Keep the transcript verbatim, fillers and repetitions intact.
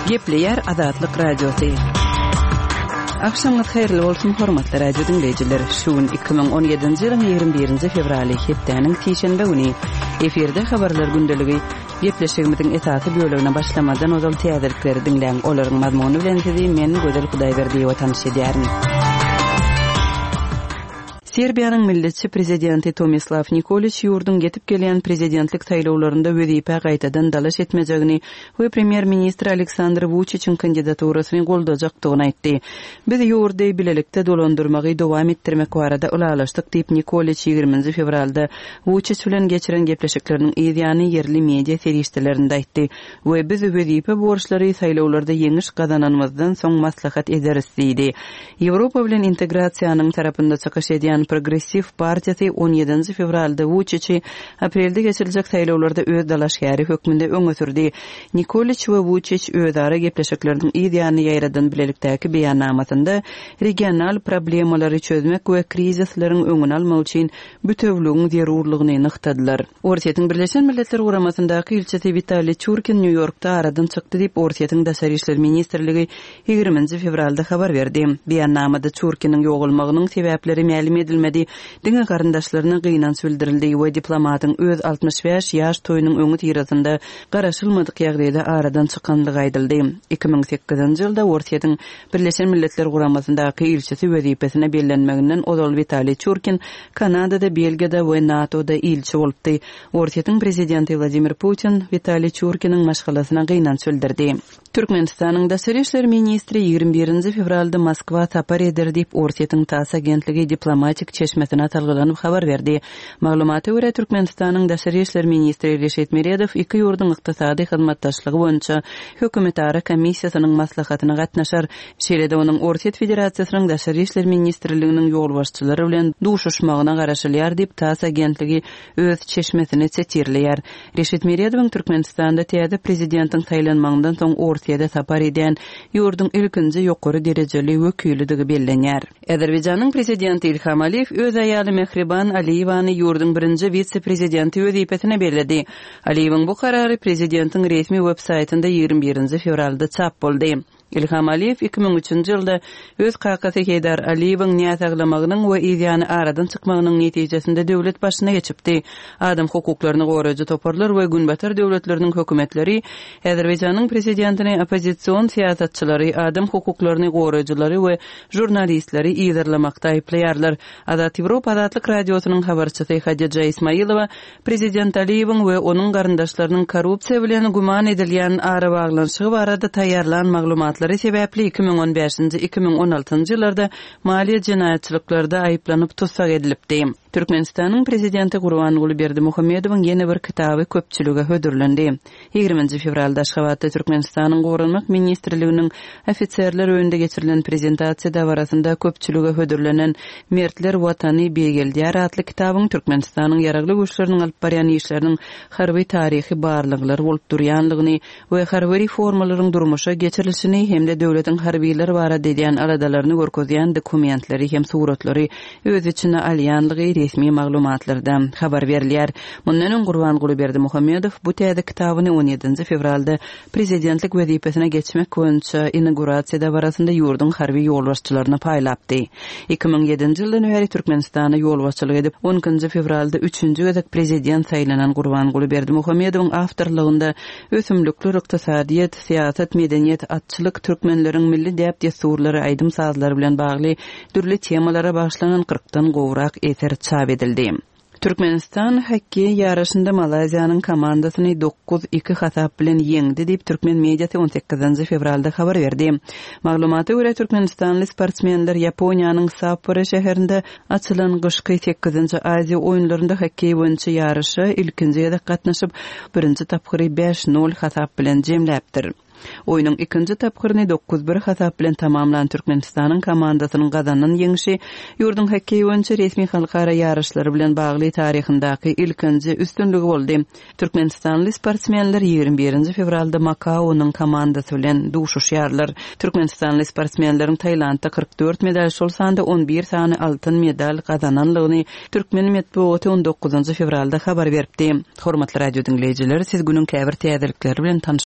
Gepleýär Azatlyk Radiosy. Agşamyňyz haýyrly bolsun, hormatly radio diňleýjiler. Şu gün iki müň on ýedinji ýylyň ýigrimi birinji fewraly, hepdäniň sişenbe güni. Efirde habarlar gündeligi. Gepleşigimiziň esasy bölegine başlamadan ozal täzelikleri diňläň. Olaryň mazmuny bilen sizi men Gözel Hudaýberdiýewa tanyş edýärin. Serbiýanyň milletçi prezidenti Tomislaw Nikoliç ýurduň ýetip gelýän prezidentlik saýlawlarynda wezipä gaýtadan dalaş etmejegini we premýer-ministr Aleksandr Wuçiçiň kandidaturasyny goldajakdygyny aýtdy. Biz ýurdy bilelikde dolandyrmagy dowam etdirmek barada ylalaşdyk diýip, Nikoliç ýigriminji fewralda Wuçiç bilen geçiren gepleşikleriniň yz ýany ýerli media serişdelerinde aýtdy we biz wezipe borçlary saýlawlarda ýeňiş gazananymyzdan soň maslahat ederis diýdi. Ýewropa bilen integrasiýanyň tarapynda çykyş edýän Progressiw partiýasy on ýedinji fewralda Wuçiçi aprelde geçiriljek saýlawlarda öz dalaşgäri hökmünde öňe sürdi. Nikoliç we Wuçiç özara gepleşikleriniň yz ýanyny ýaýradan bilelikdäki beýannamasynda regional problemalary çözmek we krizisleriň öňüni almak üçin bütewligiň zerurlygyny nygtadylar. Orsýetiň Birleşen Milletler Guramasyndaky ilçisi Witaliý Çurkin Nýu-Ýorkda aradan çykdy diýip, Orsýetiň Daşary işler ministrligi ýigriminji fewralda habar berdi. Beýannamada Çurkiniň ýogalmagynyň sebäpleri mälim edilmedi. Diňe garyndaşlaryna gynanç bildirildi we diplomatyň öz altmyş bäş ýaş toýunyň öňi syrasynda garaşylmadyk ýagdaýda aradan çykanlygy aýdyldy. Iki müň sekizinji ýylda Orsýetiň Birleşen Milletler Guramasyndaky ilçisi wezipesine bellenmeginden ozal Witaliý Çurkin Kanadada, Belgiýada we NATO-da ilçi bolupdy. Orsýetiň prezidenti Wladimir Putin Witaliý Çurkiniň maşgalasyna gynanç bildirdi. Türkmenistanyň Daşary işler ministri ýigrimi birinji fewralda Moskwa sapar eder diýip, Orsýetiň TASS agentligi diplomatik çeşmesine salgylanyp habar berdi. Maglumata görä, Türkmenistanyň Daşary işler ministri Reşit Meredow iki ýurduň ykdysady hyzmatdaşlygy boýunça hökümetara komissiýasynyň maslahatyna gatnaşar. Şeýle-de onuň Orsýet Federasiýasynyň Daşary işler ministrliginiň ýolbaşçylary bilen duşuşmagyna garaşylýar diýip, TASS agentligi öz çeşmesini setirleýär. Reşit Meredowyň Türkmenistanda täze prezidentiň saýlanmagyndan soň Orsýete sapar edýän ýurduň ilkinji ýokary derejeli wekilidigi bellenýär. Azerbaýjanyň prezidenti Ilham Aliýew öz aýaly Mehriban Aliýewany ýurduň birinji wise-prezidenti wezipesine belledi. Aliýewiň bu karary prezidentiň resmi web-saýtynda ýigrimi birinji fewralda çap boldy. Ilham Aliýew iki müň üçünji ýylda öz kakasy Heýdar Aliýewiň näsaglamagynyň we yzýany aradan çykmagynyň netijesinde döwlet başyna geçipdi. Adam hukuklaryny goraýjy toparlar we Günbatar döwletleriniň hökümetleri Azerbaýjanyň prezidentini oppozision syýasatçylary, adam hukuklaryny goraýjylary we žurnalistleri yzarlamakda aýyplaýarlar. Azat Ýewropa Azatlyk Radiosynyň habarçysy Hadija Ismailowa Prezident Aliýewiň we onuň garyndaşlarynyň korrupsiýa bilen güman edilýän arabaglanyşygy barada taýýarlan maglumatlary sebäpli iki müň on bäşinji, iki müň on altynjy ýyllarda maliýe jenaýatçylyklarda aýyplanyp tussag edilipdi. Türkmenistanyň prezidenti Gurbanguly Berdimuhamedowyň ýene bir kitaby köpçülige hödürlendi. Ýigriminji fewralda Aşgabatda Türkmenistanyň Goranmak ministrliginiň ofiserler öýünde geçirilen prezentasiýa dabarasynda köpçülige hödürlenen Mertler Watany beýgeldýär atly kitabyň Türkmenistanyň ýaragly güýçleriniň alyp barýan işleriniň harby taryhy barlyklary bolup durýanlygyny we harby reformalaryň durmuşa geçirilişini hem-de döwletiň harbiler barada edýän aladalaryny görkezýän dokumentleri hem suratlary öz içine alýanlygy resmi maglumatlarda habar berilýär. Mundan öň Gurbanguly Berdimuhamedow bu täze kitabyny on ýedinji fewralda prezidentlik wezipesine geçmek boýunça inaugurasiýa dabarasynda ýurduň harby ýolbaşçylaryna paýlapdy. Iki müň ýedinji ýyldan bäri Türkmenistana ýolbaşçylyk edip, on ikinji fewralda üçünji gezek prezident saýlanan Gurbanguly Berdimuhamedowyň awtorlygynda ösümlikler, ykdysadyýet, syýasat, medeniýet, atçylyk, türkmenleriň milli däp-dessurlary, aýdym-sazlary bilen bagly dürli temalara bagyşlanan kyrkdan gowrak eser çap edildi. Türkmenistan hokkeý ýaryşynda Malaýziýanyň komandasyny dokuz iki hasap bilen ýeňdi diýip türkmen mediasy on sekizinji fewralda habar berdi. Maglumata görä türkmenistanly sportsmenler Ýaponiýanyň Sapporo şäherinde açylan gyşky sekizinji Aziýa oýunlarynda hokkeý boýunça ýaryşa ilkinji gezek gatnaşyp, birinji tapgyry bäş nol hasap bilen jemläpdir. Oýnuň ikinji tapgyryny dokuz bir hasap bilen tamamlan Türkmenistanyň komandasynyň gazanan ýeňşi ýurduň hokkeý boýunça resmi halkara ýaryşlary bilen bagly taryhyndaky ilkinji üstünligi boldy. Türkmenistanly sportsmenler ýigrimi birinji fewralda Makaonyň komandasy bilen duşuşýarlar. Türkmenistanly sportsmenleriň Tailandda kyrk dört medal, şol sanda on bir sany altyn medal gazananlygyny Türkmen metbugaty on dokuzynjy fewralda habar beripdi. Hormatly radio diňleýjiler, siz günüň käbir täzelikleri bilen tanyş